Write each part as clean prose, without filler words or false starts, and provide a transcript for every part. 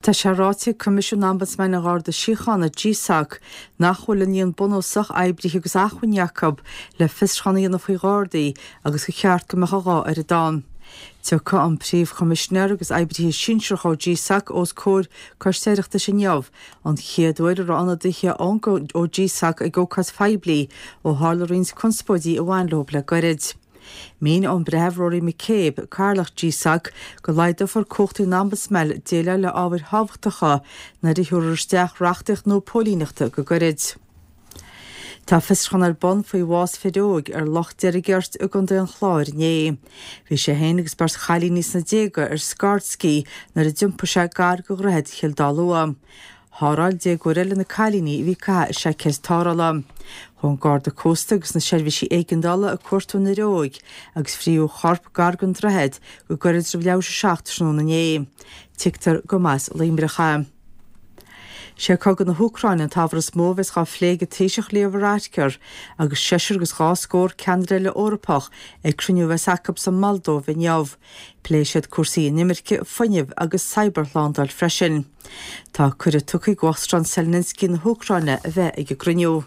Tá sé ráite ag Coimisiún Ombudsman an Gharda Síochána, GSOC, nach bhfuil an líon bunúsach oibrithe agus acmhainní acu le fiosrúchán a dhéanamh faoi Ghardaí agus gur cheart go mbeadh a dhá oiread ann. Tiocfaidh an Príomh-Choimisinéir agus oibrithe sinsearacha ó GSOC os comhair Coiste Oireachtais inniu, an chéad uair a raibh ionadaithe ó GSOC ag ócáid phoiblí ó tharla roinnt conspóidí a bhain leo le gairid. Mhínigh an Breitheamh Rory McCabe, Cathaoirleach GSOC, go laghdófar cumhachtaí an Ombudsman déileáil le ábhair thábhachtacha nuair a thabharfar isteach reachtaíocht nua póilíneachta go gairid. Tá fiosrúchán ar bun faoi bhás fir óig ar Loch Deirgeirt i gContae an Chláir inné. Bhí sé féin agus beirt chailíní sna déaga ar scairdScí nuair a d'iompaigh sé gar do Dhroichead Chill Dá Lua. Sháráil déagóir eile na cailíní a bhí ag caitheamh a seaicéid tarrthála. Chuaigh an Garda Cósta agus na seirbhísí éigeandála ag cuartú an fhir óig agus frítheadh a chorp gar don droichead go gairid roimh leathuair tar éis a 7 tráthnóna inné. Tuigtear go mb'as Luimneach é. Sé cogadh na hÚcráine an t-ábhar is mó a bheas á phlé ag an Taoiseach Leo Varadkar agus seisear agus dhá scór ceannaire eile Eorpach ag cruinniú a bheas acu sa Moldóiv inniu. Pléifidh siad cúrsaí inimirce, fuinnimh agus cybershlándáil freisin. Tá cuireadh tugtha ag Uachtarán Zelensky na hÚcráine a bheith ag an gcruinniú.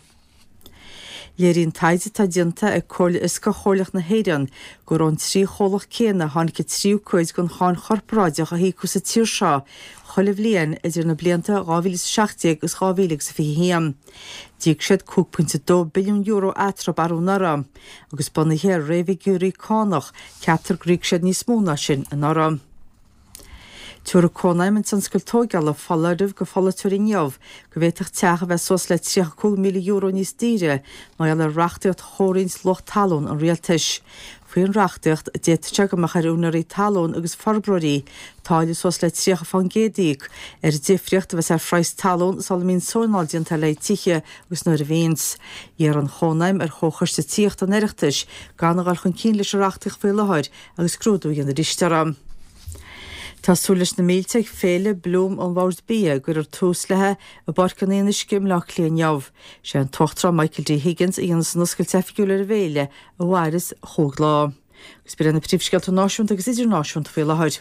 Léiríonn taighde atá déanta ag Comhairle Fhioscach Chomhairleach na hÉireann gur ón trí chomhlacht céanna a tháinig an tríú cuid den cháin chorparáideach a híocadh sa tír seo chuile bhliain idir na blianta 2017 agus 2021. D'íoc siad €5.2 billiún eatarthu arú anuraidh, agus bunaithe ar réamhfhigiúirí cánach, ceaptar gur íoc siad níos mó ná sin anuraidh. Tabharfaidh Cónaidhm an Tionscail Tógála foláireamh go pholaiteoirí inniu go bhféadfadh teach a bheith suas le €35,000 níos daoire mar gheall ar reachtaíocht chomhroinnt luach talún an rialtais. Faoin reachtaíocht, d'fhéadfadh sé go mbeadh ar úinéirí talún agus forbróirí táille suas le 30 fán gcéad a íoc ar an difríocht a bheas ar phraghas talún sula mbíonn sónáil déanta le haghaidh tithe agus nuair a bhíonns. D'iarr an Chónaidhm ar Chomhchoiste Tithíochta an Oireachtais gan a dhul chun cinn leis an reachtaíocht faoi láthair agus scrúdú a dhéanamh arís uirthi. Tá súil leis na mílte ag Féile Bloom an Bhoird Bia a gcuirfear tús léi i bPáirc an Fhionnuisce i mBleá Cliath inniu. Sé an tUachtarán Michael D. Higgins a dhéanfas an oscailt oifigiúil ar an bhféile a mhairfeas chúig lá. Agus b'in iad na príomhscéalta náisiúnta agus idirnáisiúnta faoi láthair.